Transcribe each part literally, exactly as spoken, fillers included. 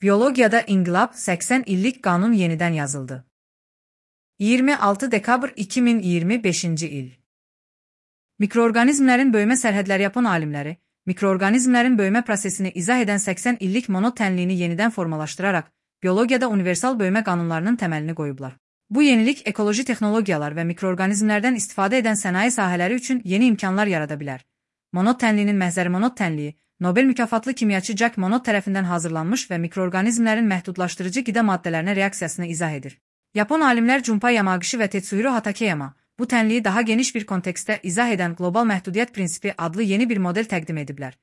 Biyologiyada inqilab səksən illik qanun yenidən yazıldı. iyirmi altı dekabr iki min iyirmi beşinci il. Mikroorqanizmlərin böyümə sərhədləri yapan alimləri, mikroorqanizmlərin böyümə prosesini izah edən səksən illik monod tənliyini yenidən formalaşdıraraq, biyologiyada universal böyümə qanunlarının təməlini qoyublar. Bu yenilik ekoloji texnologiyalar və mikroorqanizmlərdən istifadə edən sənaye sahələri üçün yeni imkanlar yarada bilər. Monod tənliyinin məhzəri monod tənliyi, Nobel mükafatlı kimyaçı Jack Monod tərəfindən hazırlanmış və mikroorqanizmlərin məhdudlaşdırıcı qida maddələrinə reaksiyasını izah edir. Yapon alimlər Junpei Yamagishi və Tetsuhiro Hatakeyama bu tənliyi daha geniş bir kontekstdə izah edən qlobal məhdudiyyət prinsipi adlı yeni bir model təqdim ediblər.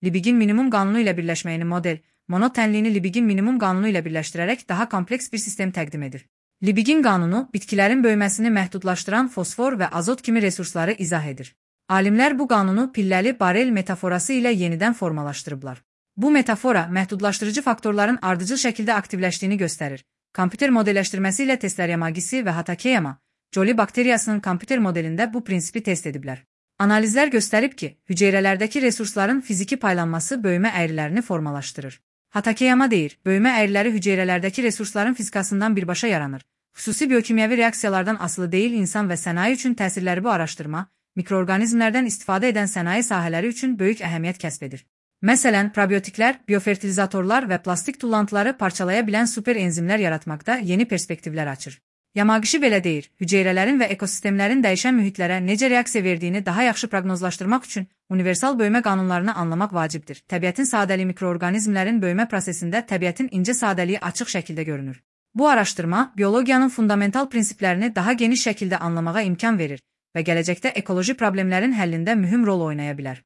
Liebigin minimum qanunu ilə birləşməyini model, monod tənliyini Liebigin minimum qanunu ilə birləşdirərək daha kompleks bir sistem təqdim edir. Liebigin qanunu bitkilərin böyüməsini məhdudlaşdıran fosfor və azot kimi resursları izah edir. Alimlər bu qanunu pilləli barel metaforası ilə yenidən formalaşdırıblar. Bu metafora məhdudlaşdırıcı faktorların ardıcıl şəkildə aktivləşdiyini göstərir. Kompüter modelləşdirməsi ilə Tetsuhiro Yamagishi və Hatakeyama, Joli bakteriyasının kompüter modelində bu prinsipi test ediblər. Analizlər göstərib ki, hüceyrələrdəki resursların fiziki paylanması böyümə əyrilərini formalaşdırır. Hatakeyama deyir, böyümə əyriləri hüceyrələrdəki resursların fizikasından birbaşa yaranır. Xüsusi biokimyəvi reaksiyalardan asılı deyil insan və sənaye üçün təsirləri bu araşdırma, mikroorqanizmlərdən istifadə edən sənaye sahələri üçün böyük əhəmiyyət kəsb edir. Məsələn, probiotiklər, biofertilizatorlar və plastik tullantıları parçalaya bilən superenzimlər yaratmaqda yeni perspektivlər açır. Yamagishi belə deyir, hüceyrələrin və ekosistemlərin dəyişən mühitlərə necə reaksiya verdiyini daha yaxşı proqnozlaşdırmaq üçün universal böyümə qanunlarını anlamaq vacibdir. Təbiətin sadəliyi mikroorqanizmlərin böyümə prosesində təbiətin incə sadəliyi açıq şəkildə görünür. Bu araşdırma, biologiyanın fundamental prinsiplərini daha geniş şəkildə anlamağa imkan verir və gələcəkdə ekoloji problemlərin həllində mühüm rol oynaya bilər.